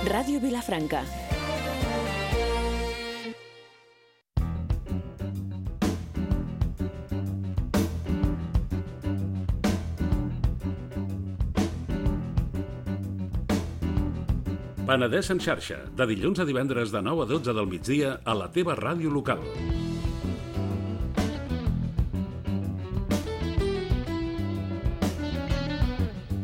Ràdio Vilafranca. Penedès en xarxa, de dilluns a divendres de 9 a 12 del migdia a la teva ràdio local.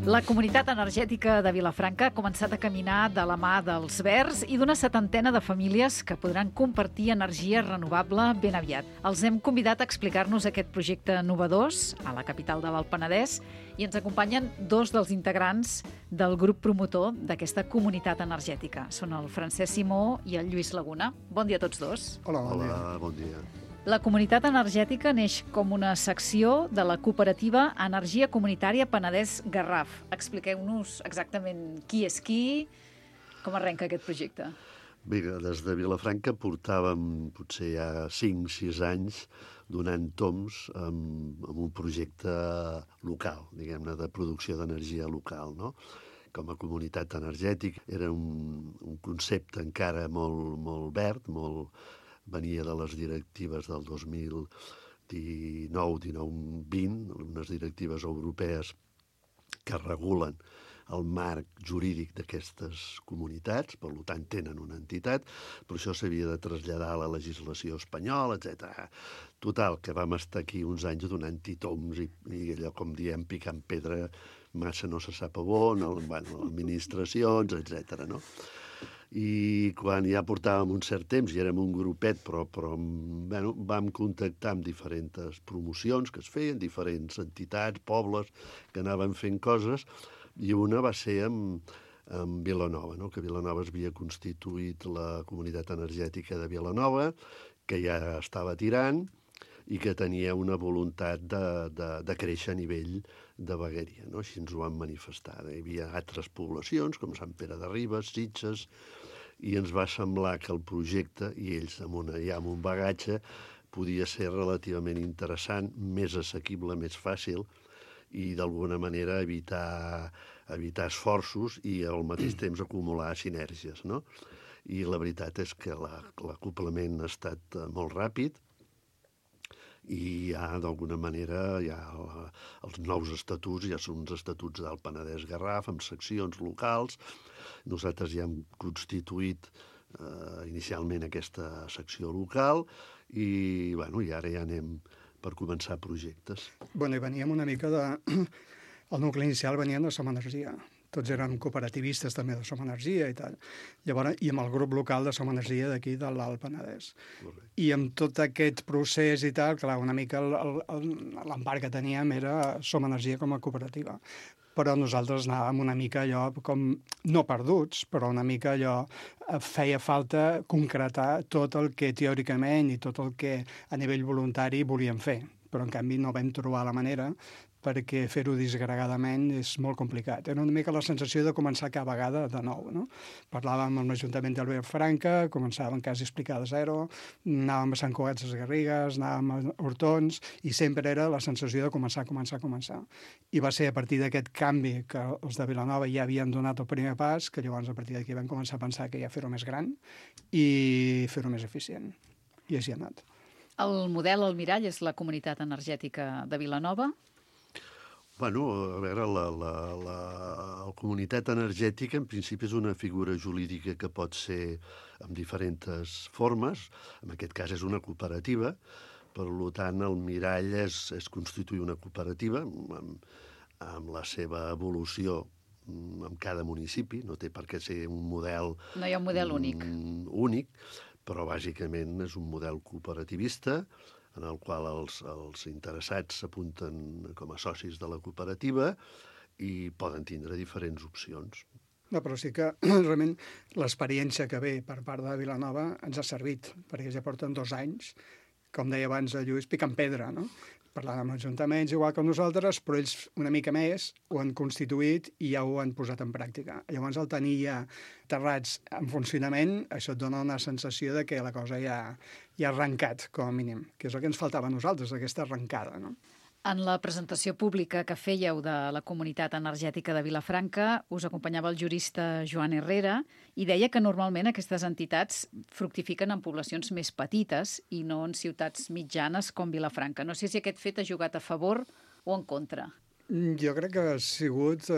La Comunitat Energètica de Vilafranca ha començat a caminar de la mà dels Verds i d'una 70ena de famílies que podran compartir energia renovable ben aviat. Els hem convidat a explicar-nos aquest projecte novedós a la capital de l'Alt Penedès i ens acompanyen dos dels integrants del grup promotor d'aquesta comunitat energètica. Són el Francesc Simó i el Lluís Laguna. Bon dia a tots dos. Hola, Bon dia. La comunitat energètica neix com una secció de la cooperativa Energia Comunitària Penedès Garraf. Expliqueu-nos exactament qui és qui, com arrenca aquest projecte. Bé, des de Vilafranca portàvem potser ja 5-6 anys donant toms amb un projecte local, diguem-ne, de producció d'energia local, no? Com a comunitat energètica era un concepte encara molt verd, venia de les directives del 2019, 19-20, unes directives europees que regulen el marc jurídic d'aquestes comunitats, per tant tenen una entitat, però això s'havia de traslladar a la legislació espanyola, etc. Total, que vam estar aquí uns anys donant-hi toms i allò, com diem, picant pedra, massa no se sap a on, administracions, etc. No? I quan ja portàvem un cert temps i érem un grupet, però vam contactar amb diferents promocions que es feien, diferents entitats, pobles, que anaven fent coses, i una va ser amb Vilanova, no? Que Vilanova es havia constituït la comunitat energètica de Vilanova, que ja estava tirant i que tenia una voluntat de créixer a nivell de vegueria, no? Així ens ho van manifestar. Hi havia altres poblacions, com Sant Pere de Ribes, Sitges, i ens va semblar que el projecte, i ells amb un bagatge, podia ser relativament interessant, més assequible, més fàcil, i d'alguna manera evitar esforços i al mateix temps acumular sinergies, no? I la veritat és que l'acoplament ha estat molt ràpid, i d'alguna manera els nous estatuts ja són uns estatuts del Penedès Garraf amb seccions locals. Nosaltres ja hem constituït inicialment aquesta secció local i ara ja anem per començar projectes. I veníem una mica de... El nucli inicial venien de Som Energia. Tots eren cooperativistes també de Som Energia i tal. Llavors, i amb el grup local de Som Energia d'aquí de l'Alt Penedès. Correcte. I amb tot aquest procés i tal, clar, una mica l'empart que teníem era Som Energia com a cooperativa. Però nosaltres anàvem una mica allò com, no perduts, però una mica allò feia falta concretar tot el que teòricament i tot el que a nivell voluntari volíem fer. Però en canvi no vam trobar la manera perquè fer-ho disgregadament és molt complicat. Era una mica la sensació de començar cada vegada de nou, no? Parlàvem amb l'Ajuntament de Vilafranca, començàvem quasi a explicar de zero, anàvem a Sant Cugat de Garrigues, anàvem a Hortons, i sempre era la sensació de començar. I va ser a partir d'aquest canvi que els de Vilanova ja havien donat el primer pas, que llavors a partir d'aquí vam començar a pensar que ja fer-ho més gran i fer-ho més eficient. I així ha anat. El model, el mirall, és la comunitat energètica de Vilanova. A veure, la comunitat energètica en principi és una figura jurídica que pot ser amb diferents formes. En aquest cas és una cooperativa, per tant el mirall és constituir una cooperativa amb la seva evolució en cada municipi. No té per què ser un model... No hi ha un model únic, però bàsicament és un model cooperativista en el qual els interessats s'apunten com a socis de la cooperativa i poden tindre diferents opcions. No, però sí que realment l'experiència que ve per part de Vilanova ens ha servit, perquè ja porten 2 anys, com deia abans el Lluís, picant pedra, no? Parlant amb ajuntaments, igual que nosaltres, però ells una mica més ho han constituït i ja ho han posat en pràctica. Llavors, el tenir ja terrats en funcionament, això et dona una sensació de que la cosa ja ha arrencat, com a mínim, que és el que ens faltava a nosaltres, aquesta arrencada, no? En la presentació pública que fèieu de la Comunitat Energètica de Vilafranca us acompanyava el jurista Joan Herrera i deia que normalment aquestes entitats fructifiquen en poblacions més petites i no en ciutats mitjanes com Vilafranca. No sé si aquest fet ha jugat a favor o en contra. Jo crec que ha sigut,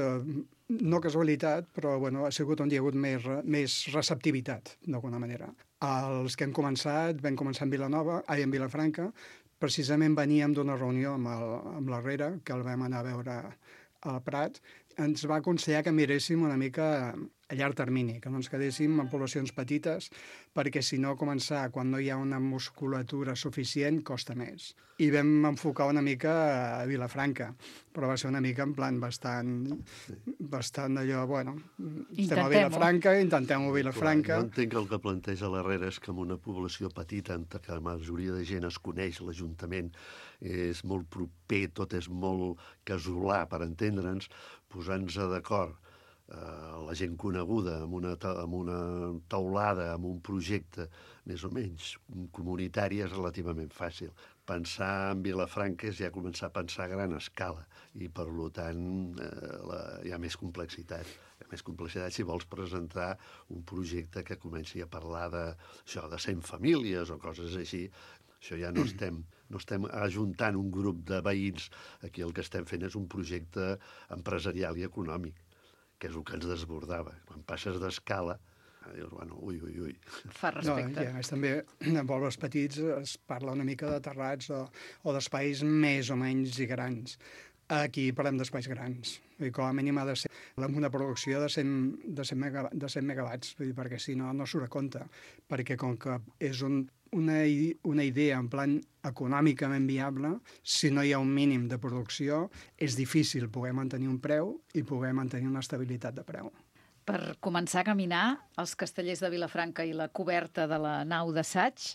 no casualitat, però bueno, ha sigut on hi ha hagut més receptivitat, d'alguna manera. Els que vam començar en en Vilafranca. Precisament veníem d'una reunió amb l'Herrera, que el vam anar a veure al Prat. Ens va aconsellar que miréssim una mica a llarg termini, que no ens quedéssim en poblacions petites, perquè si no començar quan no hi ha una musculatura suficient costa més. I vam enfocar una mica a Vilafranca, però va ser una mica en plan bastant allò, bueno, estem a Vilafranca, intentem-ho a Vilafranca. Jo entenc que el que planteja l'Herrera és que en una població petita, en què la majoria de gent es coneix, l'Ajuntament és molt proper, tot és molt casolà, per entendre'ns, posant-se d'acord la gent coneguda amb una taulada, amb un projecte més o menys comunitari és relativament fàcil. Pensar en Vilafranca és ja començar a pensar a gran escala i, per tant, hi ha més complexitat. Hi ha més complexitat si vols presentar un projecte que comenci a parlar de 100 famílies o coses així. Això ja no estem ajuntant un grup de veïns. Aquí el que estem fent és un projecte empresarial i econòmic, que és el que ens desbordava. Quan passes d'escala, dius, bueno, ui. Fa respecte. No, i a més també, en pobles petits es parla una mica de terrats o d'espais més o menys grans. Aquí parlem d'espais grans. I com a mínim ha de ser amb una producció de 100 megawatts, perquè si no, no surt a compte. Perquè com que és una idea en plan econòmicament viable, si no hi ha un mínim de producció, és difícil poder mantenir un preu i poder mantenir una estabilitat de preu. Per començar a caminar, els castellers de Vilafranca i la coberta de la nau d'assaig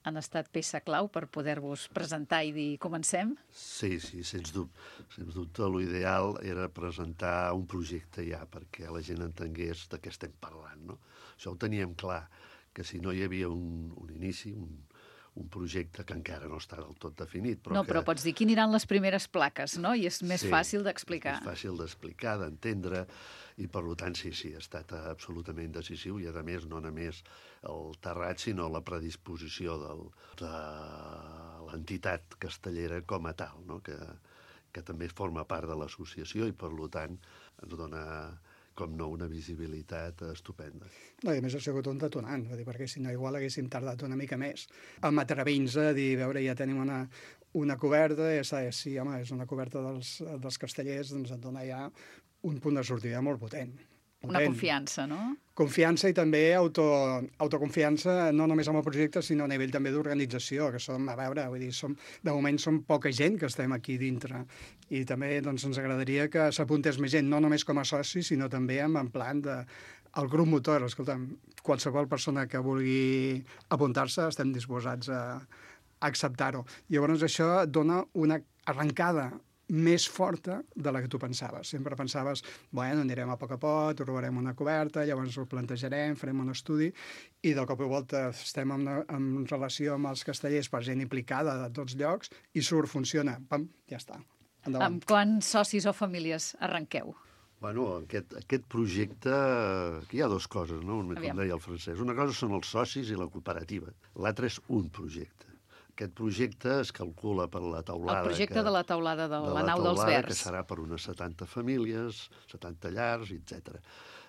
han estat peça clau per poder-vos presentar i dir comencem? Sí, sens dubte. Sens dubte, l'ideal era presentar un projecte ja, perquè la gent entengués de què estem parlant, no? Això ho teníem clar, que si no hi havia un inici, un projecte que encara no està del tot definit. Però pots dir, aquí aniran les primeres plaques, no? I és més fàcil d'explicar. És més fàcil d'explicar, d'entendre, i per tant sí, ha estat absolutament decisiu, i a més no només el terrat, sinó la predisposició de l'entitat castellera com a tal, no? que també forma part de l'associació i per tant ens dona, com no, una visibilitat estupenda. No, i a més ha sigut un detonant, perquè si no igual haguéssim tardat una mica més. Amb atrevint a dir, veure, ja tenim una coberta, ja saps, sí, home, és una coberta dels castellers, doncs et dona ja un punt de sortida molt potent. Una confiança, no? Confiança i també autoconfiança, no només amb el projecte, sinó a nivell també d'organització, que som, a veure, vull dir, de moment som poca gent que estem aquí dintre. I també doncs, ens agradaria que s'apuntés més gent, no només com a soci, sinó també en plan el grup motor. Escolta'm, qualsevol persona que vulgui apuntar-se estem disposats a acceptar-ho. Llavors això et dona una arrencada més forta de la que tu pensaves. Sempre pensaves, bueno, anirem a poc, trobarem una coberta, llavors ho plantejarem, farem un estudi, i del cop i volta estem en relació amb els castellers per gent implicada de tots llocs, i funciona, pam, ja està. Endavant. Amb quants socis o famílies arrenqueu? Bueno, aquest projecte, aquí hi ha dues coses, no? Com deia el Francesc. Una cosa són els socis i la cooperativa. L'altre és un projecte. Aquest projecte es calcula per la taulada... El projecte de la taulada de la nau dels Verds. Que serà per unes 70 famílies, 70 llars, etc.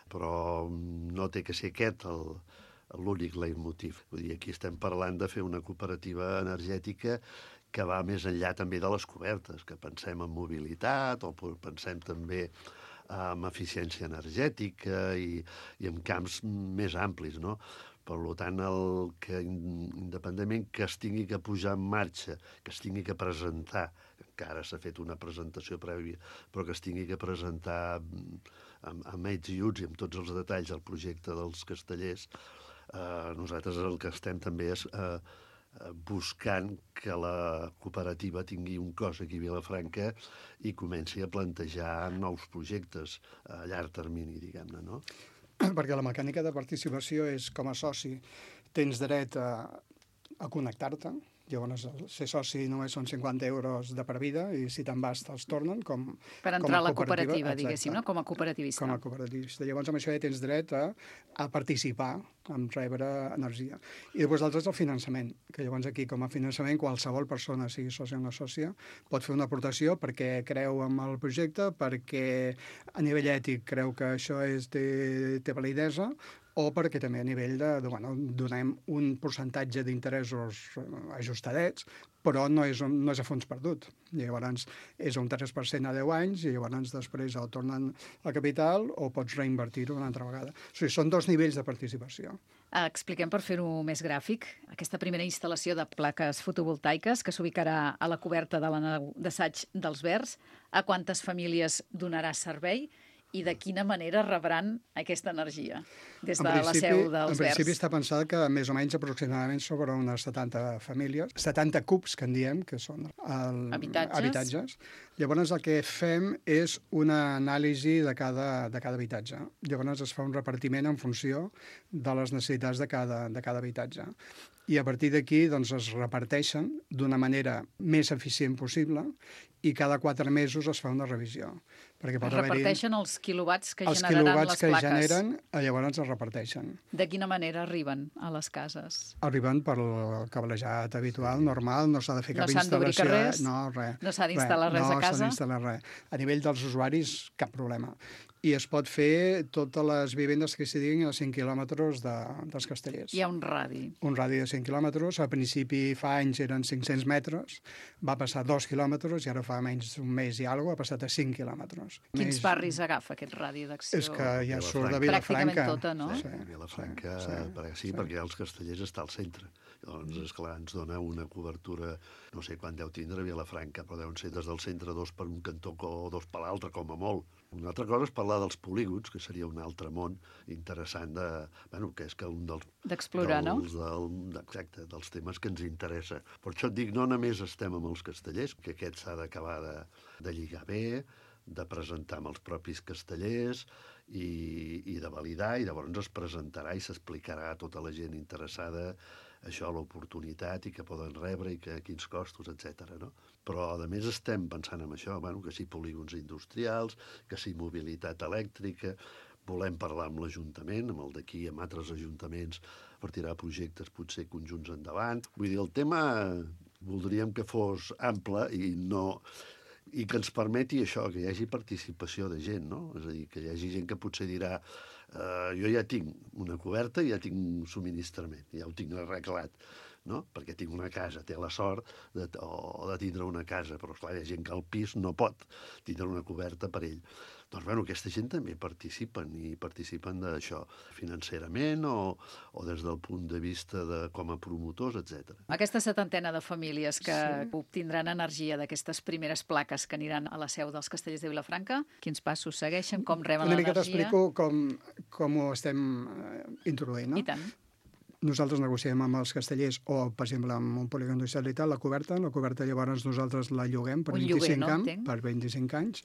Però no té que ser aquest l'únic leitmotiv. Vull dir, aquí estem parlant de fer una cooperativa energètica que va més enllà també de les cobertes, que pensem en mobilitat o pensem també en eficiència energètica i en camps més amplis, no? Per tant, independentment que es tingui que posar en marxa, que es tingui que presentar, encara s'ha fet una presentació prèvia, però que es tingui que presentar amb ets i uts i amb tots els detalls del projecte dels castellers, nosaltres el que estem també és buscant que la cooperativa tingui un cos aquí a Vilafranca i comenci a plantejar nous projectes a llarg termini, diguem-ne, no? Perquè la mecànica de participació és, com a soci, tens dret a connectar-te, Llavors, ser soci només són 50 euros de per vida i si te'n vas te'ls tornen per entrar a la cooperativa, diguéssim, no? Com a cooperativista. Com a cooperativista. Llavors, amb això ja tens dret a participar, a rebre energia. I després l'altre és el finançament, que llavors aquí, com a finançament, qualsevol persona, sigui sòcia o no sòcia, pot fer una aportació perquè creu en el projecte, perquè a nivell ètic creu que això té validesa, o perquè també a nivell donem un percentatge d'interessos ajustadets, però no és a fons perdut. Llavors és un 3% a 10 anys i llavors després el tornen al capital o pots reinvertir-ho una altra vegada. O sigui, són dos nivells de participació. Expliquem per fer-ho més gràfic. Aquesta primera instal·lació de plaques fotovoltaiques que s'ubicarà a la coberta de la nau d'assaig dels Verds, a quantes famílies donarà servei i de quina manera rebran aquesta energia des de la seu dels Verds? En principi està pensat que més o menys aproximadament sobre unes 70 famílies, 70 cubs, que en diem, que són habitatges. Llavors el que fem és una anàlisi de cada habitatge. Llavors es fa un repartiment en funció de les necessitats de cada habitatge. I a partir d'aquí doncs, es reparteixen d'una manera més eficient possible i cada 4 mesos es fa una revisió. Perquè pot es reparteixen els quilowatts que generaran les plaques. Els quilowatts que generen, llavors es reparteixen. De quina manera arriben a les cases? Arriben per el cablejat habitual, normal, no s'ha de fer cap instal·lació. No s'han d'obrir res? No, res. No s'ha d'instal·lar res a casa? No s'ha d'instal·lar res. A nivell dels usuaris, cap problema. I es pot fer totes les vivendes que s'hi diguin a 5 quilòmetres dels Castellers. Hi ha un radi. Un radi de 5 quilòmetres. Al principi fa anys eren 500 metres, va passar 2 quilòmetres i ara fa menys d'un mes i alguna cosa ha passat a 5 quilòmetres. Quins barris agafa aquest radi d'acció? És que ja surt de Vilafranca. Pràcticament tota, no? Sí, Vilafranca, sí, perquè els Castellers està al centre. Llavors, esclar, ens dona una cobertura, no sé quan deu tindre Vilafranca, però deuen ser des del centre 2 per un cantó o 2 per l'altre, com a molt. Una altra cosa és parlar dels polígons, que seria un altre món interessant que és que un d'explorar, no? Exacte, dels temes que ens interessa. Per això et dic, no només estem amb els castellers, que aquest s'ha d'acabar de lligar bé, de presentar amb els propis castellers i de validar, i llavors es presentarà i s'explicarà a tota la gent interessada això, l'oportunitat i que poden rebre i quins costos, etc. No? Però, a més, estem pensant en això, que sí polígons industrials, que sí mobilitat elèctrica, volem parlar amb l'Ajuntament, amb el d'aquí, amb altres ajuntaments, per tirar projectes potser conjunts endavant. Vull dir, el tema voldríem que fos ample i que ens permeti això, que hi hagi participació de gent, no? És a dir, que hi hagi gent que potser dirà jo ja tinc una coberta i ja tinc un subministrament, ja ho tinc arreglat, no? Perquè tinc una casa, té la sort de tindre una casa, però esclar, hi ha gent que al pis no pot tindre una coberta per ell. Doncs, aquesta gent també participen d'això financerament o des del punt de vista com a promotors, etc. Aquesta 70ena de famílies que obtindran energia d'aquestes primeres plaques que aniran a la seu dels Castellers de Vilafranca, quins passos segueixen, com reben l'energia? Una mica t'explico com ho estem introduint, no? I tant. Nosaltres negociem amb els castellers o, per exemple, amb un polígon industrial i tal, la coberta llavors nosaltres la lloguem per 25 anys.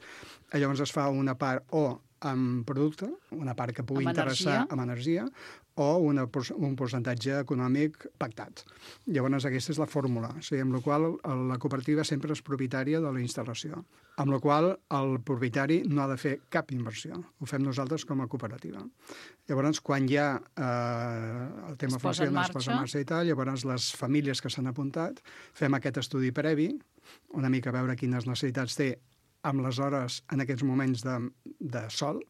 Llavors es fa una part o amb producte, una part que pugui interessar amb energia, o un percentatge econòmic pactat. Llavors aquesta és la fórmula, amb la qual la cooperativa sempre és propietària de la instal·lació, amb la qual el propietari no ha de fer cap inversió. Ho fem nosaltres com a cooperativa. Llavors, quan ja el tema funciona, es posa en marxa i tal, llavors les famílies que s'han apuntat fem aquest estudi previ, una mica veure quines necessitats té amb les hores en aquests moments de sol,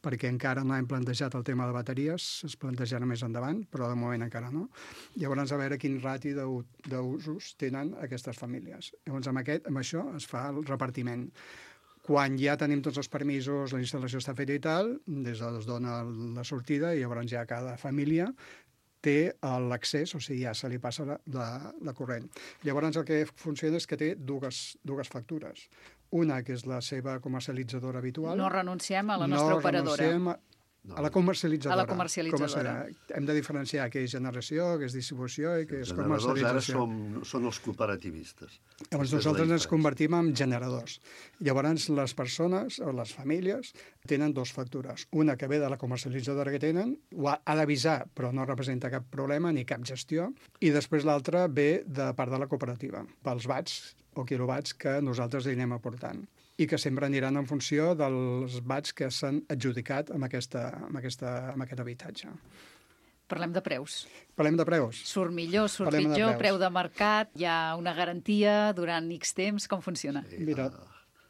perquè encara no hem plantejat el tema de bateries, es plantejarà més endavant, però de moment encara no. Llavors, a veure quin rati d'usos tenen aquestes famílies. Llavors, amb això es fa el repartiment. Quan ja tenim tots els permisos, la instal·lació està feta i tal, des d'on es dona la sortida, i llavors ja cada família té l'accés, o sigui, ja se li passa la corrent. Llavors, el que funciona és que té dues factures. Una, que és la seva comercialitzadora habitual. No renunciem a la nostra operadora. A la comercialitzadora. A la comercialitzadora. Hem de diferenciar què és generació, què és distribució i què és comercialització. Ara són els cooperativistes. Llavors nosaltres ens convertim en generadors. Llavors les persones o les famílies tenen dos factures. Una que ve de la comercialitzadora que tenen, ho ha d'avisar, però no representa cap problema ni cap gestió, i després l'altra ve de part de la cooperativa, pels watts o quilowatts que nosaltres hi anem aportant i que sempre aniran en funció dels watts que s'han adjudicat amb aquest habitatge. Parlem de preus. Parlem de preus. Surt millor, surt pitjor, preu de mercat, hi ha una garantia durant X temps, com funciona? Sí, mira,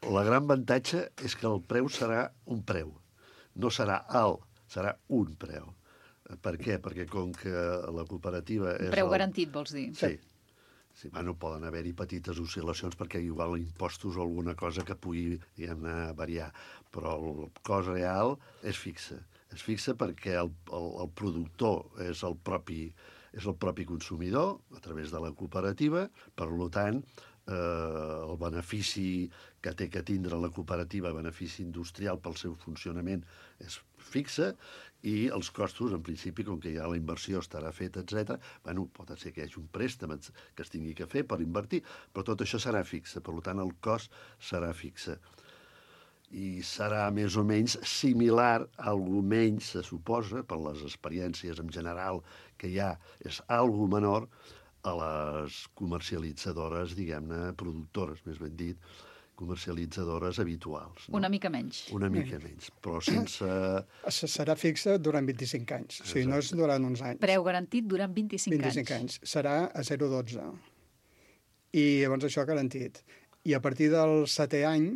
la gran avantatge és que el preu serà un preu. No serà alt, serà un preu. Per què? Perquè com que la cooperativa és... Preu garantit, vols dir? Sí. Sí, bueno, poden haver-hi petites oscil·lacions perquè igual impostos o alguna cosa que pugui, diguem-ne, variar. Però el cost real és fixe. És fixe perquè el productor és el propi consumidor a través de la cooperativa. Per tant, el benefici que té que tindre la cooperativa, benefici industrial pel seu funcionament, és fixe, i els costos, en principi, com que ja la inversió estarà feta, etc., bueno, pot ser que hi hagi un préstec que es tingui que fer per invertir, però tot això serà fixe, per tant, el cost serà fixe. I serà més o menys similar, algo menys, se suposa, per les experiències en general que hi ha, és algo menor a les comercialitzadores, diguem-ne, productores, més ben dit, comercialitzadores habituals. No? Una mica menys. Una mica menys, però sense... Serà fixa durant 25 anys, o sigui, no és durant uns anys. Preu garantit durant 25 anys. 25 anys. Serà a 0,12. I llavors això garantit. I a partir del 7è any,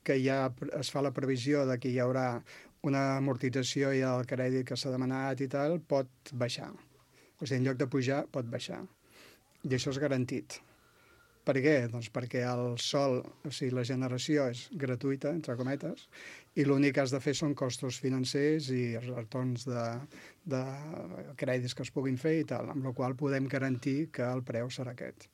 que ja es fa la previsió de que hi haurà una amortització i el crèdit que s'ha demanat i tal, pot baixar. O sigui, en lloc de pujar, pot baixar. I això és garantit. Per què? Doncs perquè el sol, o sigui, la generació és gratuïta, entre cometes, i l'únic que has de fer són costos financers i retorns de crèdits que es puguin fer i tal, amb la qual podem garantir que el preu serà aquest.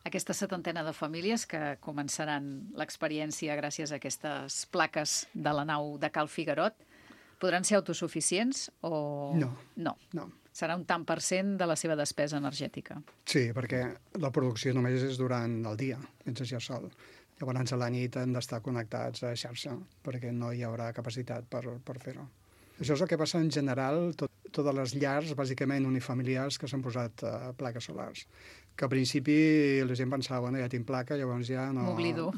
Aquesta setantena de famílies que començaran l'experiència gràcies a aquestes plaques de la nau de Cal Figuerot, podran ser autosuficients o... No. Serà un tant per cent de la seva despesa energètica. Sí, perquè la producció només és durant el dia, mentre hi ha sol. Llavors a la nit han d'estar connectats a xarxa, perquè no hi haurà capacitat per fer-ho. Això és el que passa en general, totes les llars, bàsicament unifamiliars, que s'han posat plaques solars. Que al principi la gent pensava, bueno, ja tinc placa, llavors ja no... M'oblido.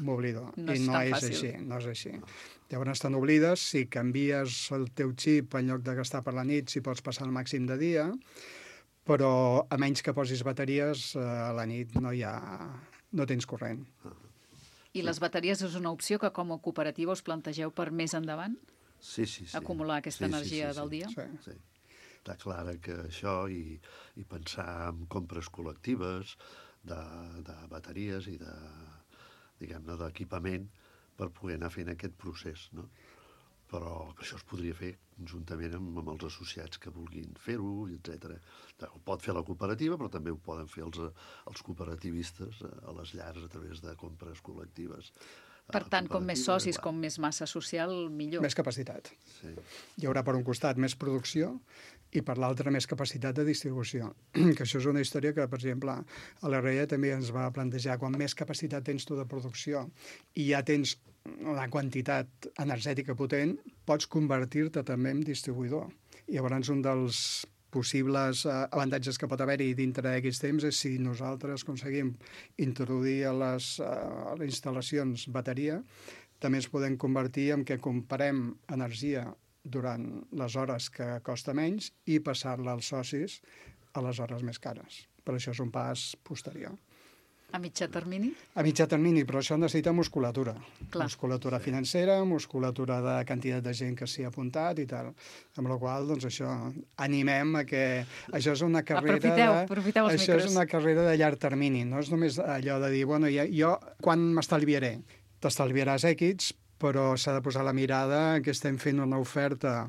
I no és així, no és així. Llavors estan oblides, si canvies el teu xip en lloc de gastar per la nit, si pots passar el màxim de dia, però a menys que posis bateries, a la nit no tens corrent. I les bateries és una opció que com a cooperativa us plantegeu per més endavant? Sí. Acumular aquesta energia del dia? Sí. Està clar que això i pensar en compres col·lectives de bateries i diguem-ne, d'equipament per poder anar fent aquest procés, no? Però això es podria fer conjuntament amb els associats que vulguin fer-ho, etc. Ho pot fer la cooperativa, però també ho poden fer els cooperativistes a les llars a través de compres col·lectives. Per tant, com més socis, com més massa social, millor. Més capacitat. Sí. Hi haurà per un costat més producció i per l'altre més capacitat de distribució. Que això és una història que, per exemple, a l'RE també ens va plantejar quan més capacitat tens tu de producció i ja tens una quantitat energètica potent, pots convertir-te també en distribuïdor. I llavors un dels possibles avantatges que pot haver-hi dintre d'aquests temps és si nosaltres aconseguim introduir a les instal·lacions bateria, també ens podem convertir en que comprem energia durant les hores que costa menys i passar-la als socis a les hores més cares. Però això és un pas posterior. A mitjà termini? A mitjà termini, però això necessita musculatura. Clar. Musculatura financera, musculatura de quantitat de gent que s'hi ha apuntat i tal. Amb la qual cosa, doncs això, animem a que això és una carrera Aprofiteu els això micros. és una carrera de llarg termini, no és només allò de dir, bueno, jo quan m'estalviaré? T'estalviaràs èquits, però s'ha de posar la mirada que estem fent una oferta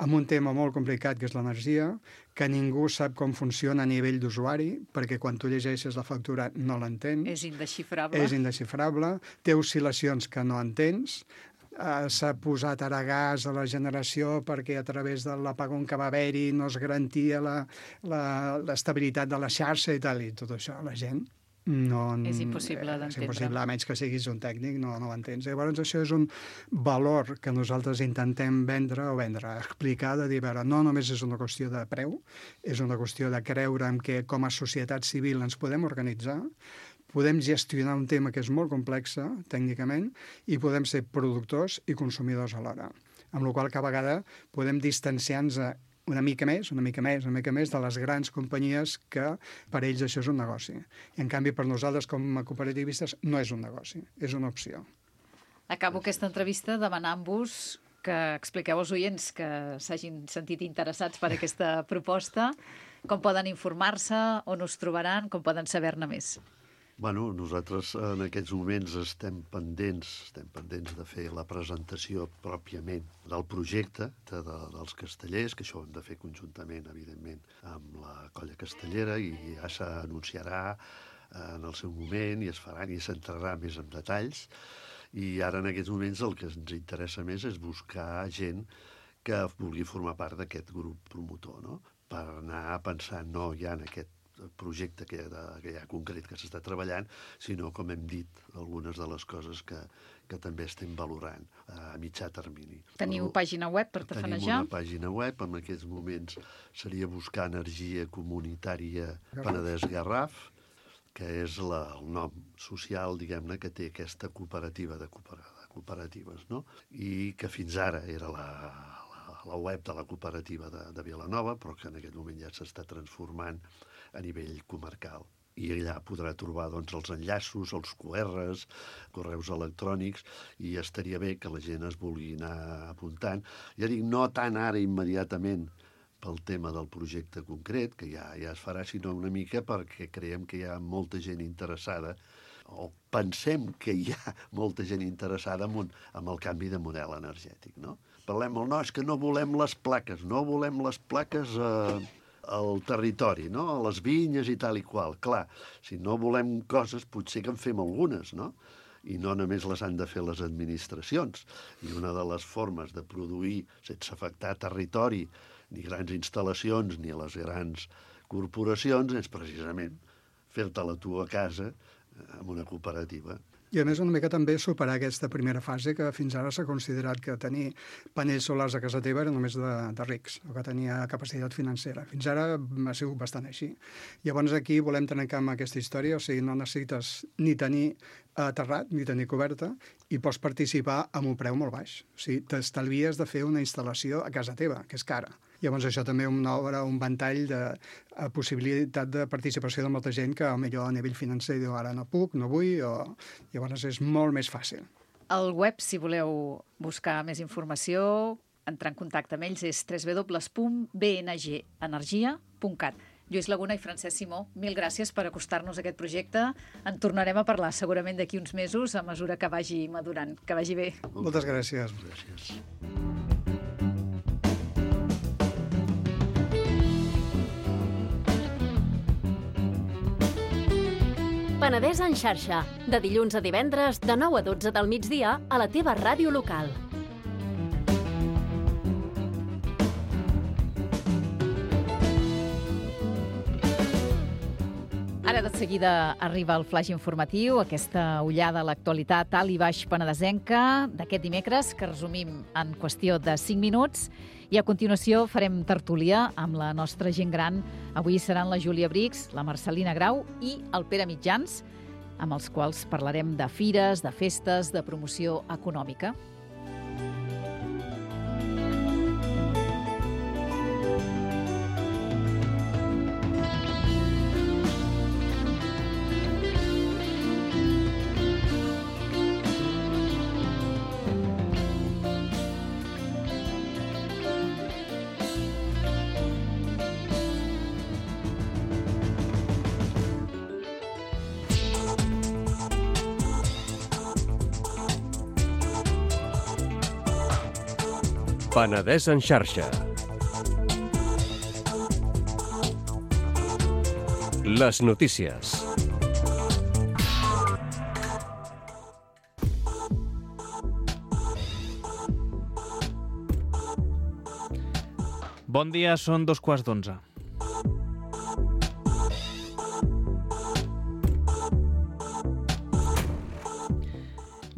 amb un tema molt complicat, que és l'energia, que ningú sap com funciona a nivell d'usuari, perquè quan tu llegeixes la factura no l'entens. És indesxifrable. És indesxifrable, té oscil·lacions que no entens, s'ha posat ara gas a la generació perquè a través de l'apagón que va haver-hi no es garantia l'estabilitat de la xarxa i tal, i tot això la gent no... És impossible d'entendre. És impossible, a menys que siguis un tècnic, no ho entens. Llavors, això és un valor que nosaltres intentem explicar, de dir, no només és una qüestió de preu, és una qüestió de creure en que com a societat civil ens podem organitzar, podem gestionar un tema que és molt complex tècnicament i podem ser productors i consumidors alhora. Amb la qual cosa, cada vegada podem distanciar-nos una mica més de les grans companyies que per ells això és un negoci. I en canvi per nosaltres com a cooperativistes no és un negoci, és una opció. Acabo aquesta entrevista demanant-vos que expliqueu als oients que s'hagin sentit interessats per aquesta proposta, com poden informar-se, on us trobaran, com poden saber-ne més. Bueno, nosaltres en aquests moments estem pendents de fer la presentació pròpiament del projecte dels castellers, que això ho hem de fer conjuntament, evidentment, amb la colla castellera, i ja s'anunciarà en el seu moment i es faran i s'entrarà més en detalls. I ara en aquests moments el que ens interessa més és buscar gent que vulgui formar part d'aquest grup promotor, no? Per anar pensant no ja en aquest projecte que hi ha concret que s'està treballant, sinó, com hem dit, algunes de les coses que també estem valorant a mitjà termini. Teniu pàgina web per tafanejar? Tenim una pàgina web, en aquests moments seria buscar Energia Comunitària Penedès Garraf, que és el nom social, diguem-ne, que té aquesta cooperativa de cooperatives, no? I que fins ara era la web de la cooperativa de Vilanova, però que en aquest moment ja s'està transformant a nivell comarcal. I allà podrà trobar els enllaços, els QRs, correus electrònics, i estaria bé que la gent es vulgui anar apuntant. Ja dic, no tant ara immediatament pel tema del projecte concret, que ja es farà, sinó una mica perquè creiem que hi ha molta gent interessada, o pensem que hi ha molta gent interessada en el canvi de model energètic, no? Parlem és que no volem les plaques al territori, no? A les vinyes i tal i qual. Clar, si no volem coses, potser que en fem algunes, no? I no només les han de fer les administracions. I una de les formes de produir sense afectar territori, ni grans instal·lacions, ni a les grans corporacions, és precisament fer-te-la tu a casa amb una cooperativa. I a més una mica també superar aquesta primera fase que fins ara s'ha considerat que tenir panells solars a casa teva era només de rics, o que tenia capacitat financera. Fins ara ha sigut bastant així. Llavors aquí volem trencar amb aquesta història, o sigui, no necessites ni tenir terrat ni tenir coberta i pots participar amb un preu molt baix. O sigui, t'estalvies de fer una instal·lació a casa teva, que és cara. Llavors això també obre un ventall de possibilitat de participació de molta gent que potser a nivell financer diu ara no puc, no vull, llavors és molt més fàcil. El web, si voleu buscar més informació, entrar en contacte amb ells, és www.bngenergia.cat. Lluís Laguna i Francesc Simó, mil gràcies per acostar-nos a aquest projecte. En tornarem a parlar segurament d'aquí uns mesos a mesura que vagi madurant. Que vagi bé. Moltes gràcies. Gràcies. Penedès en xarxa, de dilluns a divendres, de 9 a 12 del migdia, a la teva ràdio local. Ara de seguida arriba el flaix informatiu, aquesta ullada a l'actualitat alt i baix penedesenca d'aquest dimecres, que resumim en qüestió de 5 minuts. I a continuació farem tertúlia amb la nostra gent gran. Avui seran la Júlia Brix, la Marcelina Grau i el Pere Mitjans, amb els quals parlarem de fires, de festes, de promoció econòmica. Penedès en xarxa. Les notícies. Bon dia, són 11:15.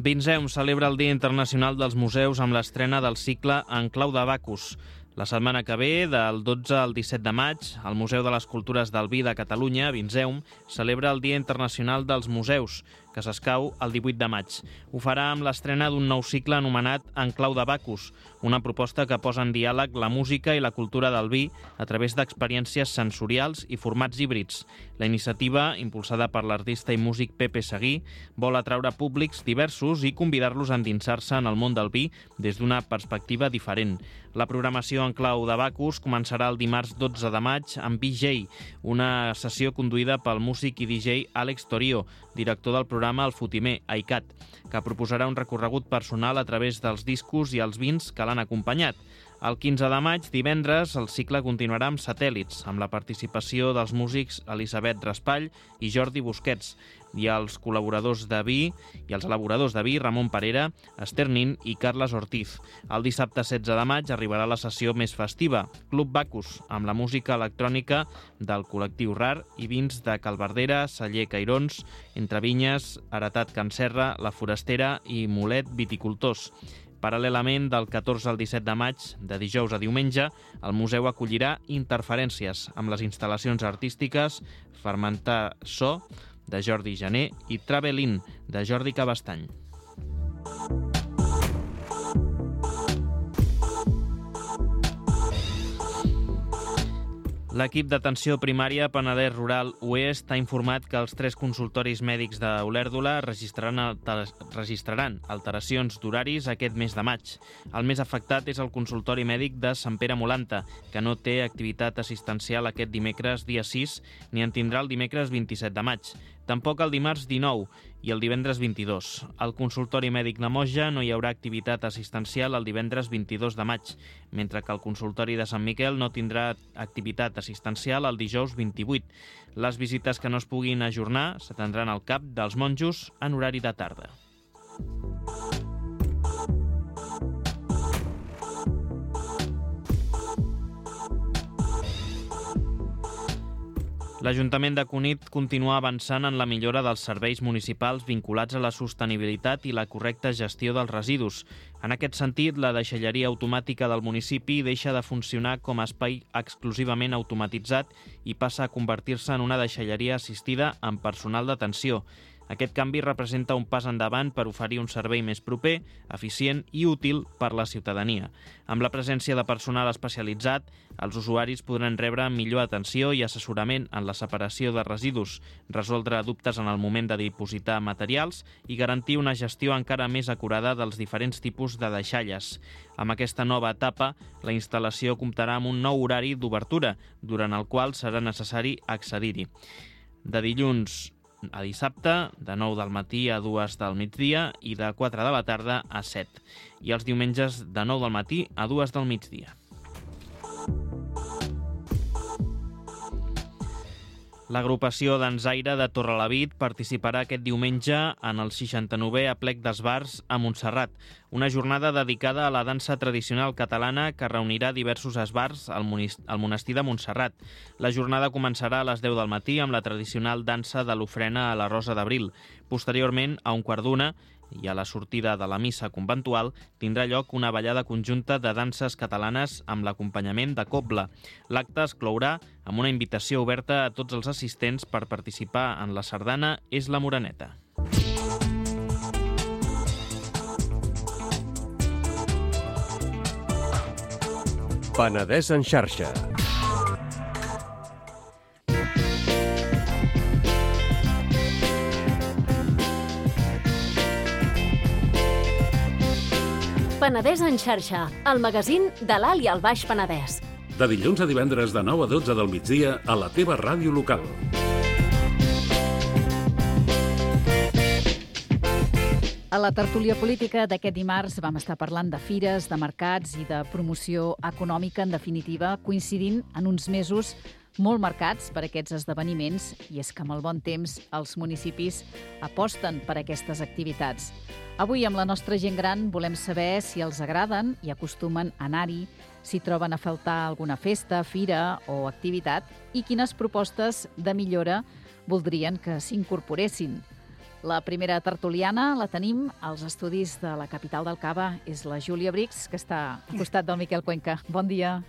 Vinzeum celebra el Dia Internacional dels Museus amb l'estrena del cicle En clau de Bacus. La setmana que ve, del 12 al 17 de maig, el Museu de les Cultures del Vi de Catalunya, Vinzeum, celebra el Dia Internacional dels Museus, que s'escau el 18 de maig. Ho farà amb l'estrena d'un nou cicle anomenat En clau de Bacus, una proposta que posa en diàleg la música i la cultura del vi a través d'experiències sensorials i formats híbrids. La iniciativa, impulsada per l'artista i músic Pepe Seguí, vol atraure públics diversos i convidar-los a endinsar-se en el món del vi des d'una perspectiva diferent. La programació En clau de Bacus començarà el dimarts 12 de maig amb VJ, una sessió conduïda pel músic i DJ Àlex Torio, director del programa El Fotimer, AICAT, que proposarà un recorregut personal a través dels discos i els vins que l'han acompanyat. El 15 de maig, divendres, el cicle continuarà amb Satèl·lits, amb la participació dels músics Elisabet Raspall i Jordi Busquets, i els col·laboradors de vi i els elaboradors de vi Ramon Parera, Esther Nin i Carles Ortiz. El dissabte 16 de maig arribarà la sessió més festiva, Club Bacus, amb la música electrònica del col·lectiu RAR i vins de Calverdera, Celler Cairons, Entre Vinyes, Heretat Can Serra, La Forastera i Molet Viticultors. Paral·lelament, del 14 al 17 de maig, de dijous a diumenge, el museu acollirà Interferències, amb les instal·lacions artístiques Fermentar So, de Jordi Jané, i Travel-in, de Jordi Cabestany. L'equip d'atenció primària Penedès Rural Oest ha informat que els 3 consultoris mèdics d'Olèrdola registraran alteracions d'horaris aquest mes de maig. El més afectat és el consultori mèdic de Sant Pere Molanta, que no té activitat assistencial aquest dimecres dia 6 ni en tindrà el dimecres 27 de maig. Tampoc el dimarts 19 i el divendres 22. Al consultori mèdic de Moja no hi haurà activitat assistencial el divendres 22 de maig, mentre que el consultori de Sant Miquel no tindrà activitat assistencial el dijous 28. Les visites que no es puguin ajornar s'atendran al CAP dels monjos en horari de tarda. L'Ajuntament de Cunit continua avançant en la millora dels serveis municipals vinculats a la sostenibilitat i la correcta gestió dels residus. En aquest sentit, la deixalleria automàtica del municipi deixa de funcionar com a espai exclusivament automatitzat i passa a convertir-se en una deixalleria assistida amb personal d'atenció. Aquest canvi representa un pas endavant per oferir un servei més proper, eficient i útil per la ciutadania. Amb la presència de personal especialitzat, els usuaris podran rebre millor atenció i assessorament en la separació de residus, resoldre dubtes en el moment de dipositar materials i garantir una gestió encara més acurada dels diferents tipus de deixalles. Amb aquesta nova etapa, la instal·lació comptarà amb un nou horari d'obertura, durant el qual serà necessari accedir-hi. De dilluns a dissabte, de 9 del matí a 2 del migdia i de 4 de la tarda a 7. I els diumenges de 9 del matí a 2 del migdia. L'agrupació Dansaire de Torrelavit participarà aquest diumenge en el 69è Aplec d'Esbars a Montserrat, una jornada dedicada a la dansa tradicional catalana que reunirà diversos esbars al monestir de Montserrat. La jornada començarà a les 10 del matí amb la tradicional dansa de l'ofrena a la Rosa d'Abril. Posteriorment, a 1:15 i a la sortida de la missa conventual, tindrà lloc una ballada conjunta de danses catalanes amb l'acompanyament de cobla. L'acte es clourà amb una invitació oberta a tots els assistents per participar en la sardana És la Moreneta. Penedès en xarxa. Penedès en xarxa, el magazín de l'Alt i el Baix Penedès. De dilluns a divendres de 9 a 12 del migdia a la teva ràdio local. A la tertúlia política d'aquest dimarts vam estar parlant de fires, de mercats i de promoció econòmica, en definitiva, coincidint en uns mesos molt marcats per aquests esdeveniments, i és que amb el bon temps els municipis aposten per aquestes activitats. Avui, amb la nostra gent gran, volem saber si els agraden i acostumen a anar-hi, si troben a faltar alguna festa, fira o activitat i quines propostes de millora voldrien que s'incorporessin. La primera tertuliana la tenim als estudis de la capital del Cava. És la Júlia Brix, que està al costat del Miquel Cuenca. Bon dia.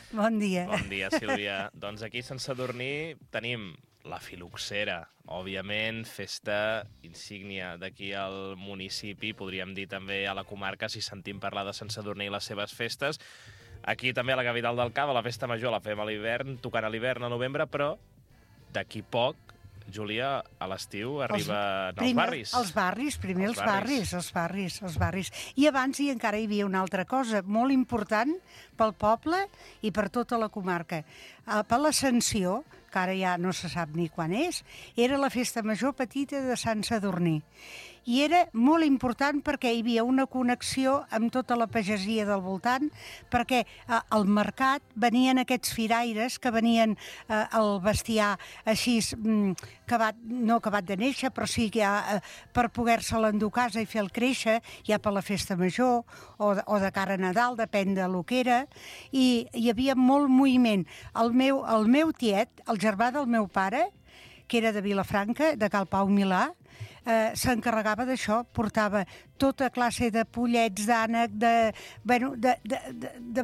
Bon dia. Bon dia, Sílvia. Doncs aquí a Sant Sadurní tenim la Filoxera, òbviament, festa insígnia d'aquí al municipi, podríem dir també a la comarca, si sentim parlar de Sant Sadurní i les seves festes. Aquí també a la capital del Cava, la festa major la fem a l'hivern, tocant a l'hivern a novembre, però d'aquí poc, Júlia, a l'estiu arriben els barris. Els barris, primer els barris. I abans encara hi havia una altra cosa molt important pel poble i per tota la comarca. Per l'Ascensió, que ara ja no se sap ni quan és, era la festa major petita de Sant Sadurní. I era molt important perquè hi havia una connexió amb tota la pagesia del voltant, perquè al mercat venien aquests firaires que venien al bestiar així, no acabat de néixer, però sí que per poder-se l'endur a casa i fer-lo créixer, ja per la festa major o de cara a Nadal, depèn de lo que era, i hi havia molt moviment. El meu tiet, el germà del meu pare, que era de Vilafranca, de Cal Pau Milà, s'encarregava d'això, portava tota classe de pollets, d'ànec, de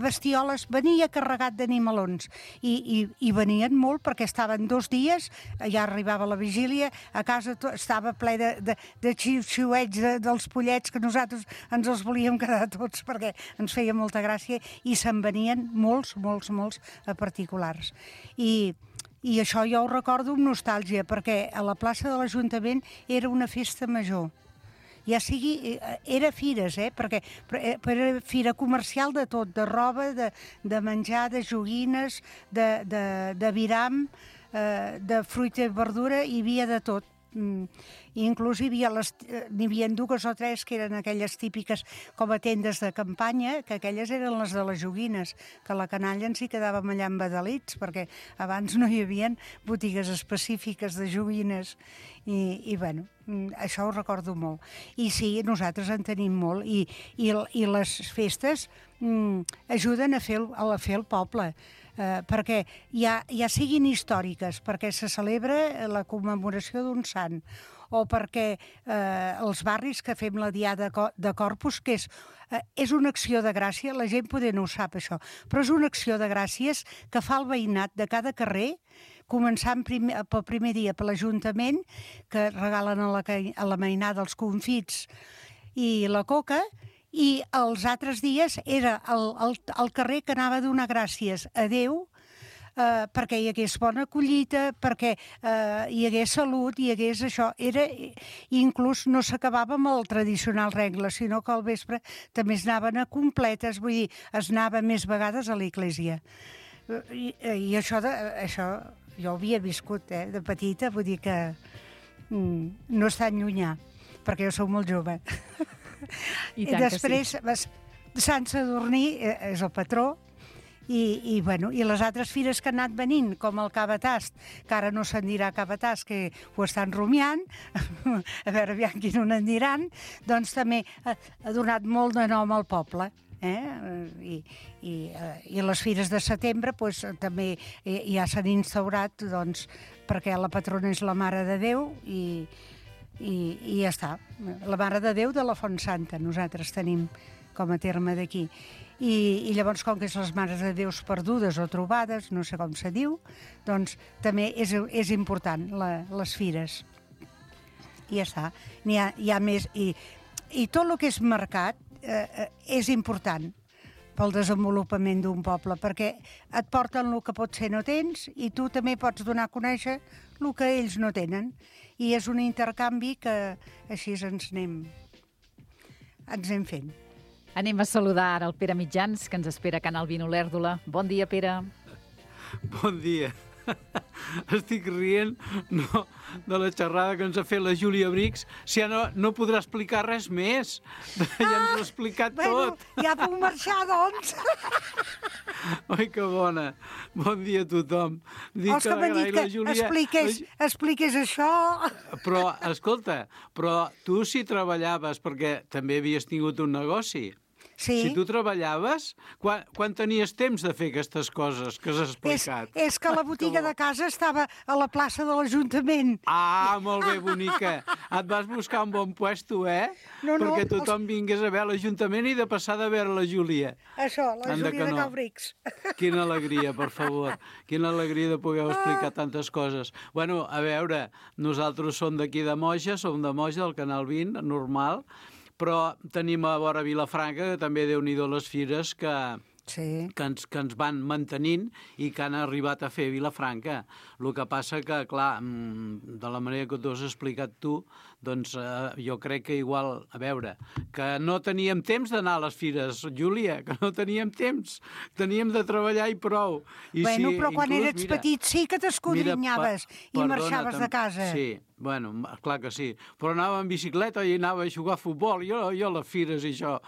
bestioles, venia carregat d'animalons. I venien molt perquè estaven 2 dies, ja arribava la vigília, a casa estava ple de xiu-xiuets dels pollets que nosaltres ens els volíem quedar tots perquè ens feia molta gràcia i se'n venien molts particulars. I això jo ho recordo amb nostàlgia, perquè a la plaça de l'Ajuntament era una festa major. Ja sigui, era fires, perquè era fira comercial de tot, de roba, de menjar, de joguines, de viram, de fruita i verdura, hi havia de tot. Inclús n'hi havia 2 o 3 que eren aquelles típiques com a tendes de campanya, que aquelles eren les de les joguines, que la canalla ens hi quedàvem allà embadalits, perquè abans no hi havia botigues específiques de joguines. I bueno, això ho recordo molt. I sí, nosaltres en tenim molt, i les festes ajuden a fer el poble, perquè ja siguin històriques, perquè se celebra la commemoració d'un sant, o perquè els barris que fem la Diada de Corpus, que és una acció de gràcia, la gent poder no ho sap això, però és una acció de gràcies que fa el veïnat de cada carrer, començant pel primer dia per l'Ajuntament, que regalen a la mainada els confits i la coca, i els altres dies era el carrer que anava a donar gràcies a Déu perquè hi hagués bona collita, perquè hi hagués salut, hi hagués això. Inclús no s'acabava amb el tradicional regle, sinó que al vespre també es anaven a completes, vull dir, es anava més vegades a l'església. I això jo ho havia viscut de petita, vull dir que no és tan llunyà, perquè jo soc molt jove. I després, Sant Sadurní és el patró, i les altres fires que han anat venint, com el Cabatast, que ara no se'n dirà Cabatast, que ho estan rumiant, a veure aviam quin en diran, doncs també ha donat molt de nom al poble. I les fires de setembre també ja s'han instaurat, perquè la patrona és la Mare de Déu i ja està. La Mare de Déu de la Font Santa, nosaltres tenim com a terme d'aquí. I llavors, com que és les Mares de Déus perdudes o trobades, no sé com se diu, doncs també és important, les fires. I ja està. N'hi ha més. I tot el que és mercat és important pel desenvolupament d'un poble, perquè et porten el que potser no tens i tu també pots donar a conèixer el que ells no tenen. I és un intercanvi que així ens anem fent. Anem a saludar ara el Pere Mitjans, que ens espera a Canal Vino Olèrdola. Bon dia, Pere. Bon dia. Estic rient de la xerrada que ens ha fet la Júlia Brix. Si ja no podrà explicar res més. Ja ens ho ha explicat tot. Ja puc marxar, doncs. Oi, que bona. Bon dia a tothom. Els que m'han dit que expliqués això... Però, escolta, tu si treballaves, perquè també havies tingut un negoci... Sí. Si tu treballaves, quan tenies temps de fer aquestes coses que has explicat? És que la botiga de casa estava a la plaça de l'Ajuntament. Ah, molt bé, bonica. Et vas buscar un bon puesto, No, perquè tothom vingués a veure l'Ajuntament i de passada a veure la Júlia. Això, la Júlia de Calbrics. Quina alegria, per favor. Quina alegria de poder explicar tantes coses. Bueno, a veure, nosaltres som d'aquí de Moja, som de Moja, del Canal 20, normal, però tenim a vora Vilafranca, que també Déu-n'hi-do les fires que ens van mantenint i que han arribat a fer Vilafranca. El que passa que, clar, de la manera que t'ho has explicat tu, doncs jo crec que igual, a veure, que no teníem temps d'anar a les fires, Júlia, que no teníem temps. Teníem de treballar i prou. Bueno, però quan eres petit sí que t'escodrinyaves i marxaves de casa. Sí, bueno, clar que sí. Però anava en bicicleta i anava a jugar a futbol. Jo a les fires i això.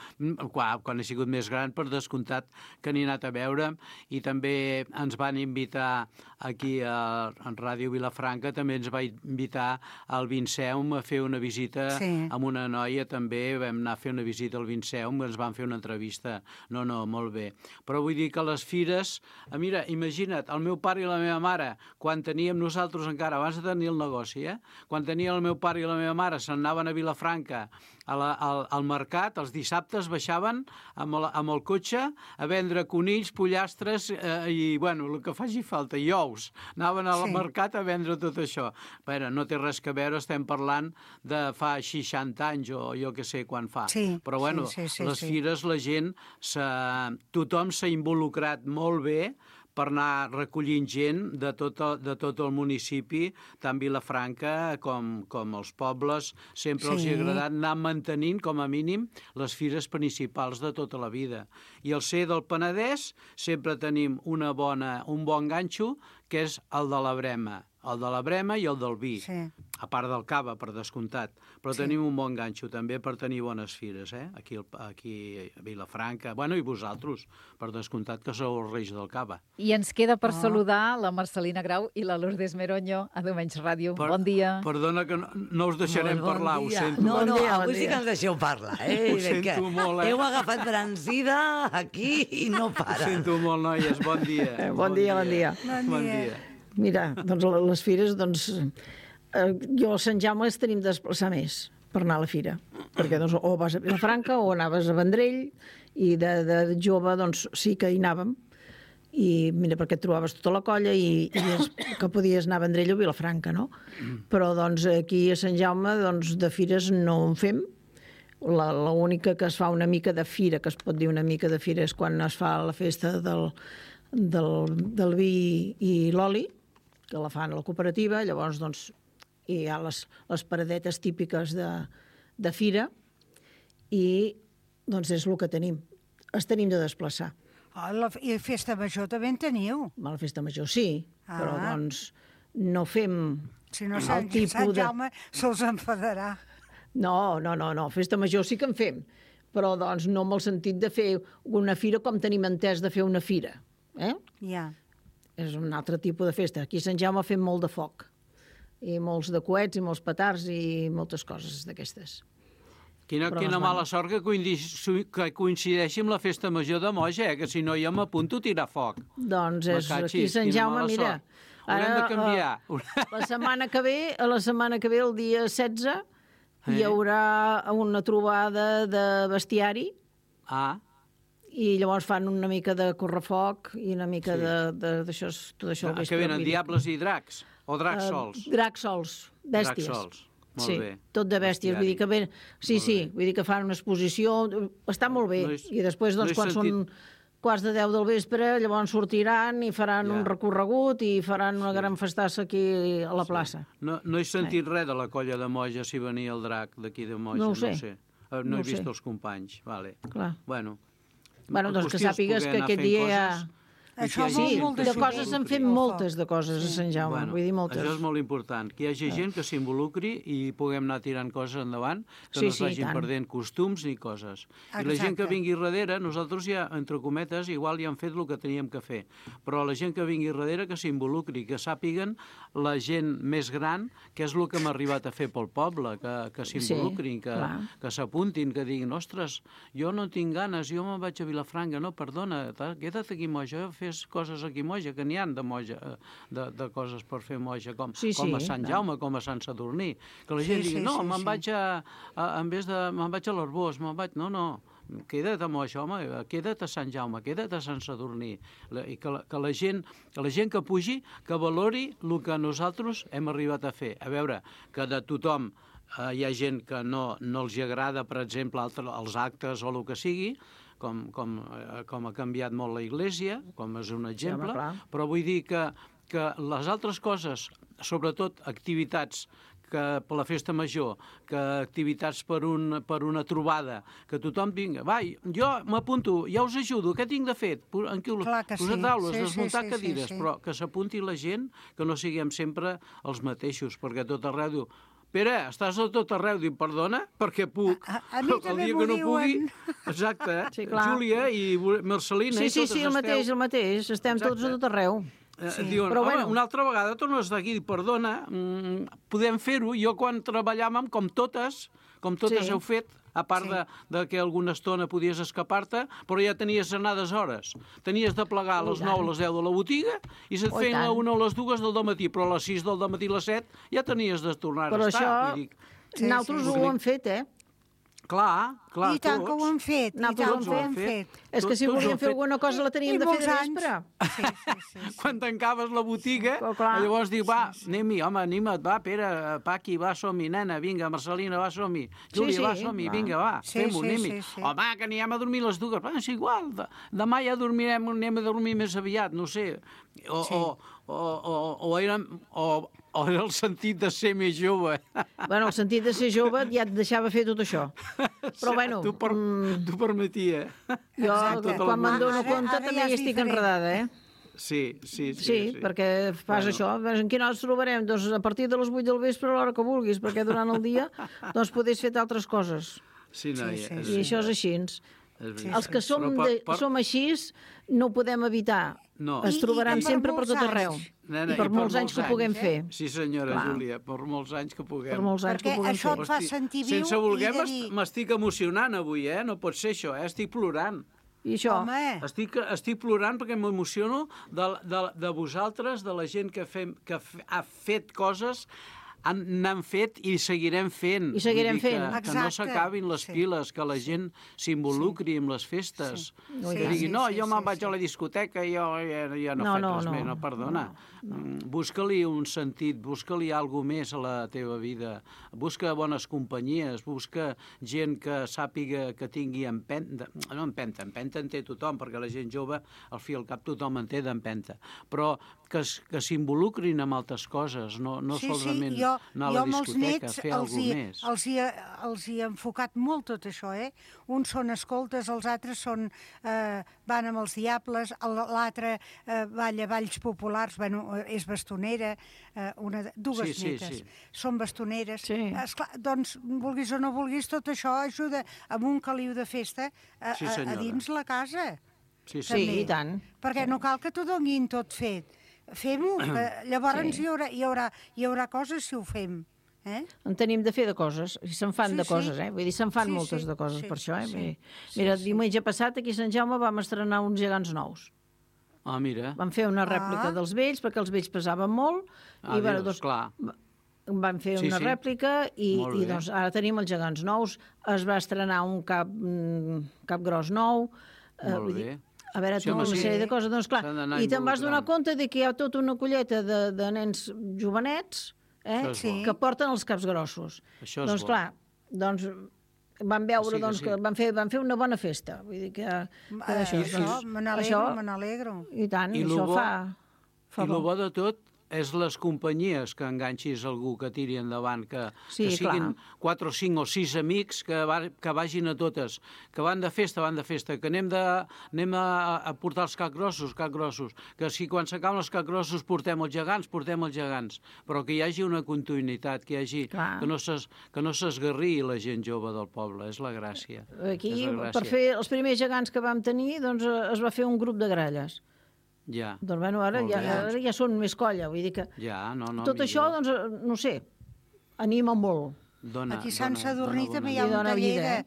Quan he sigut més gran, per descomptat, que n'he anat a veure. I també ens van invitar aquí a Ràdio Vilafranca, també ens va invitar al Vinceum a fer una visita amb una noia, també vam anar a fer una visita al Vinceum, ens van fer una entrevista. No, molt bé. Però vull dir que les fires... Mira, imagina't, el meu pare i la meva mare, quan teníem nosaltres encara, abans de tenir el negoci, quan tenia el meu pare i la meva mare, se'n anaven a Vilafranca al mercat, els dissabtes baixaven amb el cotxe a vendre conills, pollastres i, bueno, el que faci falta, i ous. Anaven al mercat a vendre tot això. Bé, no té res que veure, estem parlant de fa 60 anys o jo que sé quan fa. Però, bueno, les fires, la gent, tothom s'ha involucrat molt bé per anar recollint gent de tot el municipi, tant Vilafranca com els pobles. Sempre els ha agradat anar mantenint, com a mínim, les fires principals de tota la vida. I al ser del Penedès sempre tenim un bon ganxo, que és el de la Brema. El de la Brema i el del vi, a part del cava, per descomptat. Però tenim un bon ganxo també per tenir bones fires, aquí a Vilafranca. Bueno, i vosaltres, per descomptat, que sou els reis del cava. I ens queda per saludar la Marcelina Grau i la Lourdes Meroño a Diumenge Ràdio. Bon dia. Perdona que no us deixarem parlar, ho sento. No, avui sí que ens deixeu parlar. Ho sento molt, Heu agafat brancida aquí i no para. Ho sento molt, noies. Bon dia. Bon dia. Bon dia. Mira, doncs les fires, jo a Sant Jaume tenim de desplaçar més per anar a la fira, perquè doncs, o vas a Vilafranca o anaves a Vendrell, i de jove doncs sí que hi anàvem, i mira, perquè et trobaves tota la colla i que podies anar a Vendrell o a Vilafranca, no? Però doncs aquí a Sant Jaume doncs, de fires no en fem. L'única que es fa una mica de fira, que es pot dir una mica de fira, és quan es fa la festa del vi i l'oli, que la fan a la cooperativa. Llavors doncs, hi ha les paradetes típiques de fira i doncs és el que tenim. Es tenim de desplaçar. I festa major també en teniu? La festa major sí, però doncs no fem si no, Sant Jaume se'ls enfadarà. No, festa major sí que en fem, però doncs no amb el sentit de fer una fira com tenim entès de fer una fira. Ja. És un altre tipus de festa. Aquí a Sant Jaume fem molt de foc, i molts de coets, i molts petards, i moltes coses d'aquestes. Quina mala sort que coincideixi amb la festa major de Moja, que si no jo m'apunto a tirar foc. Doncs és aquí a Sant Jaume, mira. Haurem de canviar. La setmana que ve, el dia 16, hi haurà una trobada de bestiari. I llavors fan una mica de correfoc i una mica d'això. Que venen diables i dracs? O dracs sols? Dracs sols, bèsties. Dracs sols, molt bé. Tot de bèsties, vull dir que vull dir que fan una exposició, està molt bé. I després, doncs, quan són quarts de 10 del vespre, llavors sortiran i faran un recorregut i faran una gran festassa aquí a la plaça. No he sentit res de la colla de Moja si venia el drac d'aquí de Moja, no ho sé. No he vist els companys, vale. Clar. Bueno, doncs que sàpigues que aquest dia Això Sí, de coses en fem moltes de coses a Sant Jaume, vull dir moltes. Això és molt important, que hi hagi gent que s'involucri i puguem anar tirant coses endavant, que no es vagin perdent costums ni coses. I la gent que vingui darrere, nosaltres ja, entre cometes, igual ja hem fet el que teníem que fer, però la gent que vingui darrere que s'involucri, que sàpiguen la gent més gran, que és el que hem arribat a fer pel poble, que s'involucrin, que s'apuntin, que diguin, ostres, jo no tinc ganes, jo me'n vaig a Vilafranca, no, perdona, queda't aquí moja, fes coses aquí moja, que n'hi ha de moja, de coses per fer moja, com a Sant Jaume, com a Sant Sadurní, que la gent digui, no, me'n vaig en vez de, me'n vaig a l'Arbós, no, queda't a moja, home, queda't a Sant Jaume, queda't a Sant Sadurní, i que la gent que pugi, que valori el que nosaltres hem arribat a fer. A veure, que de tothom hi ha gent que no els agrada, per exemple, els actes o el que sigui, com ha canviat molt la Iglésia, com és un exemple, però vull dir que les altres coses, sobretot activitats que per la festa major, que activitats per una trobada, que tothom vingui, va, jo m'apunto, ja us ajudo, què tinc de fer? Posar taules, desmuntar cadires, però que s'apunti la gent, que no siguem sempre els mateixos, perquè tot arreu diu, Pere, estàs a tot arreu, dic, perdona, perquè puc. A mi també m'ho diuen. Exacte, Júlia i Marcelina i totes esteu... Sí, el mateix, estem tots a tot arreu. Diuen, una altra vegada torno a estar aquí, perdona, podem fer-ho. Jo quan treballàvem, com totes heu fet, a part de que alguna estona podies escapar-te, però ja tenies anades hores. Tenies de plegar a les 9 a les 10 de la botiga i se't feien a 1 a les 2 del dematí, però a les 6 del dematí a les 7 ja tenies de tornar a estar. Però això, nosaltres ho hem fet, Clar, I tant que ho hem fet, És que si volíem fer alguna cosa la teníem de fer de vespre. Sí. Quan tancaves la botiga, llavors dic, va, anem-hi, home, anima't, va, Pere, Paqui, va, som-hi, nena, vinga, Marcelina, va, som-hi, Júlia, va, som-hi, vinga, va, fem-ho, anem-hi. Home, que anirem a dormir les dues, és igual, demà ja anem a dormir més aviat, no sé, o era el sentit de ser més jove. Bueno, el sentit de ser jove ja et deixava fer tot això. Però bueno... T'ho permetia. Jo, quan me'n dono compte, també hi estic enredada, Sí, perquè fas això. En quina hora ens trobarem? Doncs a partir de les 8 del vespre, a l'hora que vulguis, perquè durant el dia doncs podés fer altres coses. Sí, noia. I això és així. Els que som així no ho podem evitar. Es trobaran sempre per tot arreu. I per molts anys que puguem fer. Sí, senyora Júlia, per molts anys que puguem. Perquè això et fa sentir viu. Sense voler m'estic emocionant avui, no pot ser això, estic plorant. I això? Estic plorant perquè m'emociono de vosaltres, de la gent que ha fet coses, n'han fet i seguirem fent. I seguirem fent. Que no s'acabin les piles, que la gent s'involucri amb les festes. Que digui, no, jo me'n vaig a la discoteca i jo ja no faig res més. No, perdona. Busca-li un sentit, busca-li alguna més a la teva vida. Busca bones companyies, busca gent que sàpiga que tingui empenta. No empenta en té tothom, perquè la gent jove, al fi i al cap, tothom en té d'empenta. Però que s'involucrin amb altres coses, no solament anar a la discoteca, fer alguna més. Els hi ha enfocat molt tot això, Uns són escoltes, els altres van amb els diables, l'altre balla balls populars, és bastonera, dues netes són bastoneres. Esclar, doncs, vulguis o no vulguis, tot això ajuda amb un caliu de festa a dins la casa. Sí, i tant. Perquè no cal que t'ho donin tot fet. Fem-ho, llavors hi haurà coses si ho fem. En tenim de fer de coses, i se'n fan de coses, vull dir, se'n fan moltes de coses per això, Mira, el diumenge passat aquí a Sant Jaume vam estrenar uns gegants nous. Ah, mira. Vam fer una rèplica dels vells, perquè els vells pesaven molt, i clar. Vam fer una rèplica i doncs ara tenim els gegants nous. Es va estrenar un cap gros nou. Molt bé. A veure, una sèrie de coses, doncs clar, i te'n vas donar compte que hi ha tota una colleta de nens jovenets que porten els caps grossos. Doncs clar, vam veure que van fer una bona festa. Vull dir que això, me n'alegro. I tant, això fa... I el bo de tot és les companyies que enganxis algú que tiri endavant, que siguin clar. 4 o 5 o 6 amics que vagin a totes, que van de festa, que anem a portar els capgrossos, que si quan s'acaben els capgrossos portem els gegants, però que hi hagi una continuïtat, que no s'esgarri la gent jove del poble, és la gràcia. Aquí, per fer els primers gegants que vam tenir, doncs es va fer un grup de gralles. Ja. Doncs bueno, ara ja són més colla, vull dir que... Ja, tot això, doncs, no sé, anima molt. Aquí a Sant Sadurní també hi ha un taller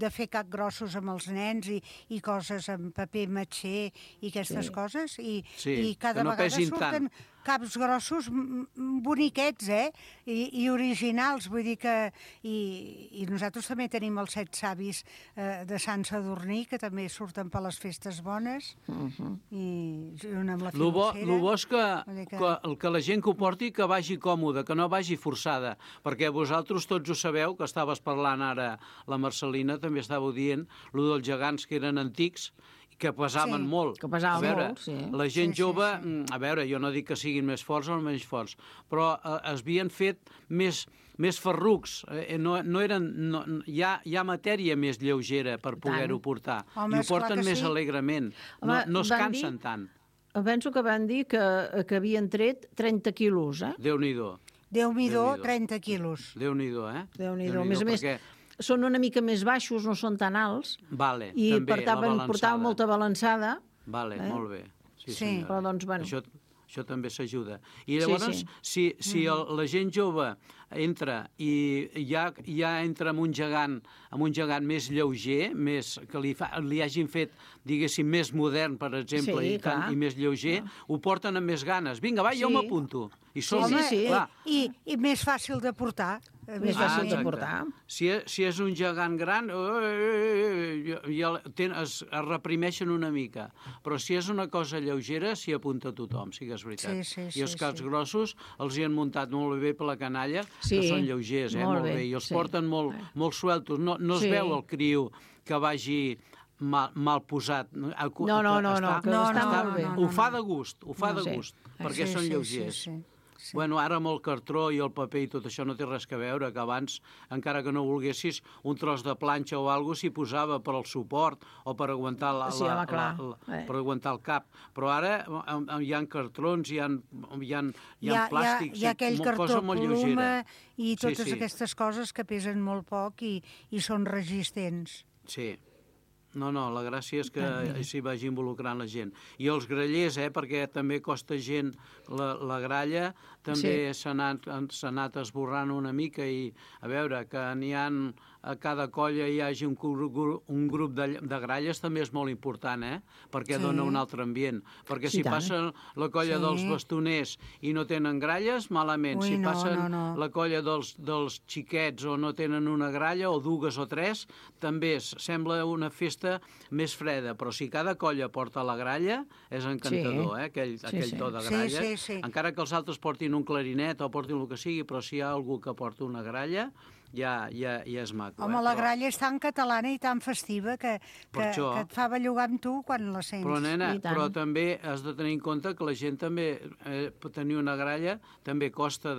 de fer capgrossos amb els nens i coses amb paper matxer i aquestes coses, i cada vegada surten caps grossos boniquets, i originals, vull dir que... I nosaltres també tenim els 7 savis de Sant Sadurní, que també surten per les festes bones, i junt amb la filocera. El bo és que la gent que ho porti, que vagi còmoda, que no vagi forçada, perquè vosaltres tots ho sabeu, que estaves parlant ara, la Marcelina també estàveu dient, allò dels gegants que eren antics, que pesaven molt. Que pesaven molt, sí. La gent jove, a veure, jo no dic que siguin més forts o menys forts, però es havien fet més ferrucs. Hi ha matèria més lleugera per poder-ho portar. I ho porten més alegrement. No es cansen tant. Penso que van dir que havien tret 30 quilos, Déu-n'hi-do. Déu-n'hi-do, 30 quilos. Déu-n'hi-do, Déu-n'hi-do. A més a més, són una mica més baixos, no són tan alts, i portaven molta balançada. Vale, molt bé. Sí, però doncs, bueno... Això també s'ajuda. I llavors, si la gent jove entra i ja entra amb un gegant més lleuger, que li hagin fet, diguéssim, més modern, per exemple, i més lleuger, ho porten amb més ganes. Vinga, va, jo m'apunto. I més fàcil de portar. Més fàcil de portar. Si és un gegant gran, es reprimeixen una mica. Però si és una cosa lleugera, s'hi apunta tothom, sí que és veritat. I els caps grossos els hi han muntat molt bé per la canalla, que són lleugers, molt bé. I els porten molt sueltos. No es veu el criu que vagi mal posat. No, que està molt bé. Ho fa de gust, perquè són lleugers. Bueno, ara amb el cartró i el paper i tot això no té res a veure, que abans, encara que no volguessis, un tros de planxa o alguna cosa s'hi posava per al suport o per aguantar per aguantar el cap. Però ara hi ha cartrons, hi ha plàstics, hi ha aquell cartró pluma i totes aquestes coses que pesen molt poc i són resistents. Sí. No, la gràcia és que s'hi vagi involucrant la gent. I els grallers, perquè també costa gent la gralla, també s'ha anat esborrant una mica i, a veure, que n'hi ha a cada colla hi hagi un grup de gralles també és molt important, perquè dona un altre ambient. Perquè si passa la colla dels bastoners i no tenen gralles, malament. Si passen la colla dels xiquets o no tenen una gralla, o dues o tres, també sembla una festa més freda. Però si cada colla porta la gralla, és encantador, aquell to de gralles. Encara que els altres portin un clarinet o portin el que sigui, però si hi ha algú que porta una gralla, ja és maco. Home, la gralla és tan catalana i tan festiva que et fa bellugar amb tu quan la sents. Però, nena, però també has de tenir en compte que la gent també, tenir una gralla, també costa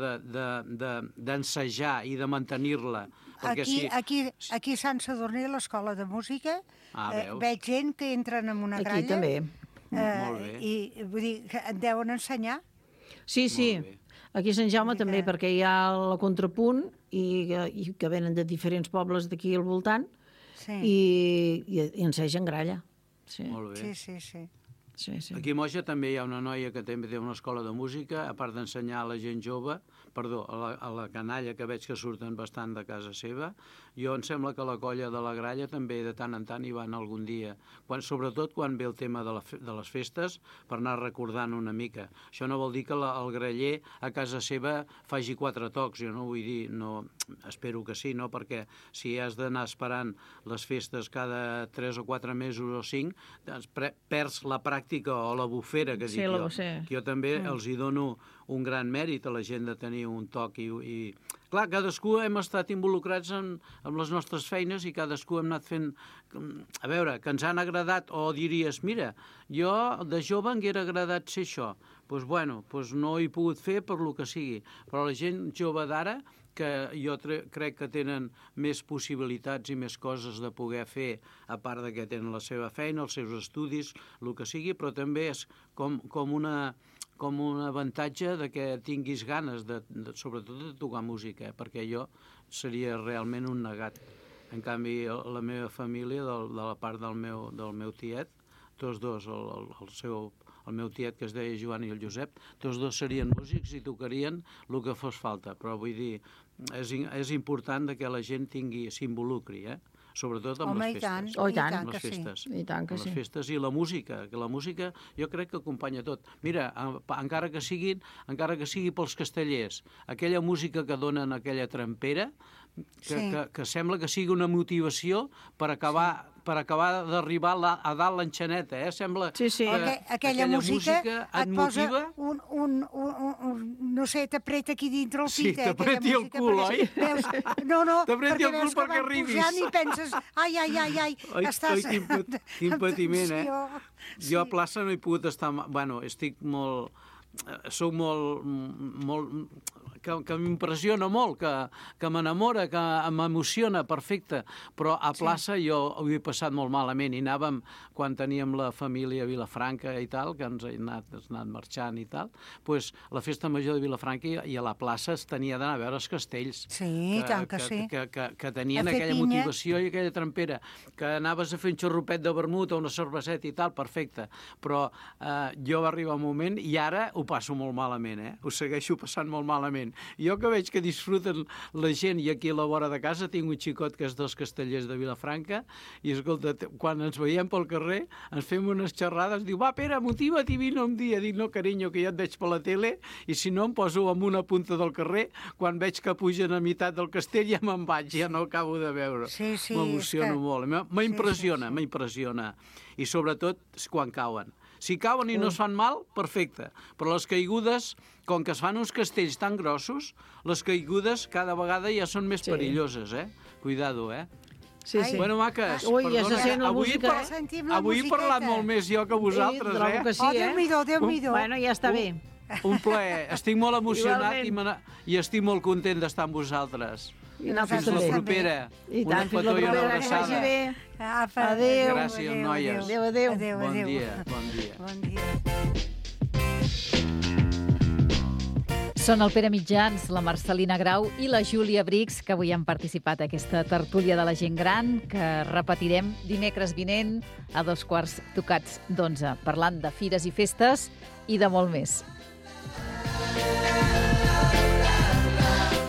d'ensejar i de mantenir-la. Aquí a Sant Sadurní, a l'escola de música, veig gent que entren en una gralla. Aquí també. I vull dir, que et deuen ensenyar. Sí. Aquí a Sant Jaume també, perquè hi ha la contrapunt i que venen de diferents pobles d'aquí al voltant i ensegen gralla. Molt bé. Sí. Aquí a Moja també hi ha una noia que també té una escola de música, a part d'ensenyar a la gent jove, a la canalla, que veig que surten bastant de casa seva. Jo em sembla que la colla de la gralla també de tant en tant hi van algun dia, sobretot quan ve el tema de les festes, per anar recordant una mica. Això no vol dir que el graller a casa seva faci 4 tocs, jo no vull dir, espero que sí, no? Perquè si has d'anar esperant les festes cada 3 o 4 mesos o 5, doncs perds la pràctica o la bufera, que dic jo. Jo també els hi dono un gran mèrit a la gent de tenir un toc i clar, cadascú hem estat involucrats amb les nostres feines i cadascú hem anat fent... A veure, que ens han agradat, o diries, mira, jo de jove m'haguera agradat ser això. Doncs bueno, no ho he pogut fer per lo que sigui. Però la gent jove d'ara, que jo crec que tenen més possibilitats i més coses de poder fer, a part de que tenen la seva feina, els seus estudis, el que sigui, però també és com un avantatge de que tinguis ganes, sobretot de tocar música, perquè jo seria realment un negat. En canvi, la meva família, de la part del meu tiet, tots dos, el meu tiet, que es deia Joan, i el Josep, tots dos serien músics i tocarien el que fos falta. Però vull dir, és important que la gent s'involucri, sobretot amb les festes. I tant que sí. Les festes i la música, que la música jo crec que acompanya tot. Mira, encara que sigui pels castellers, aquella música que donen aquella trampera, que sembla que sigui una motivació per acabar d'arribar a dalt l'enxaneta, sembla que aquella música et motiva. No sé, t'apreta aquí dintre el pit. Sí, t'apreti el cul, oi? No, t'apreti el cul perquè arribis. I penses, ai, estàs... Quin patiment, Jo a plaça no he pogut estar... Bueno, estic molt... Soc molt que m'impressiona molt, que m'enamora, que m'emociona, perfecte, però a plaça jo ho he passat molt malament i anàvem, quan teníem la família a Vilafranca i tal, que ens ha anat marxant i tal, doncs la festa major de Vilafranca i a la plaça es tenia d'anar a veure els castells. Sí, tant que sí. Que tenien aquella motivació i aquella trampera, que anaves a fer un xorropet de vermut o una cerveseta i tal, perfecte, però jo va arribar un moment i ara ho passo molt malament, ho segueixo passant molt malament. Jo que veig que disfruten la gent, i aquí a la vora de casa tinc un xicot que és dels castellers de Vilafranca, i escolta, quan ens veiem pel carrer ens fem unes xerrades, diu, va Pere, motiva't i vine un dia. Dic, no carinyo, que ja et veig per la tele, i si no em poso en una punta del carrer, quan veig que pugen a meitat del castell ja me'n vaig, ja no acabo de veure. M'emociono molt, m'impressiona, i sobretot quan cauen. Si cauen i no es fan mal, perfecte. Però les caigudes, com que es fan uns castells tan grossos, les caigudes cada vegada ja són més perilloses, Cuidado, Sí. Bueno, maques, ui, ja se sent la música, avui he parlat molt més jo que vosaltres, que sí, Déu-n'hi-do. Bueno, ja està bé. Un plaer. Estic molt emocionat i estic molt content d'estar amb vosaltres. Fins la propera. Una petó i una abraçada. Adéu. Gràcies, noies. Adéu. Bon dia. Són el Pere Mitjans, la Marcelina Grau i la Júlia Brix, que avui han participat a aquesta tertúlia de la gent gran, que repetirem dimecres vinent a 11:15, parlant de fires i festes i de molt més.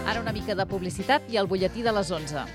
Ara una mica de publicitat i el butlletí de les 11.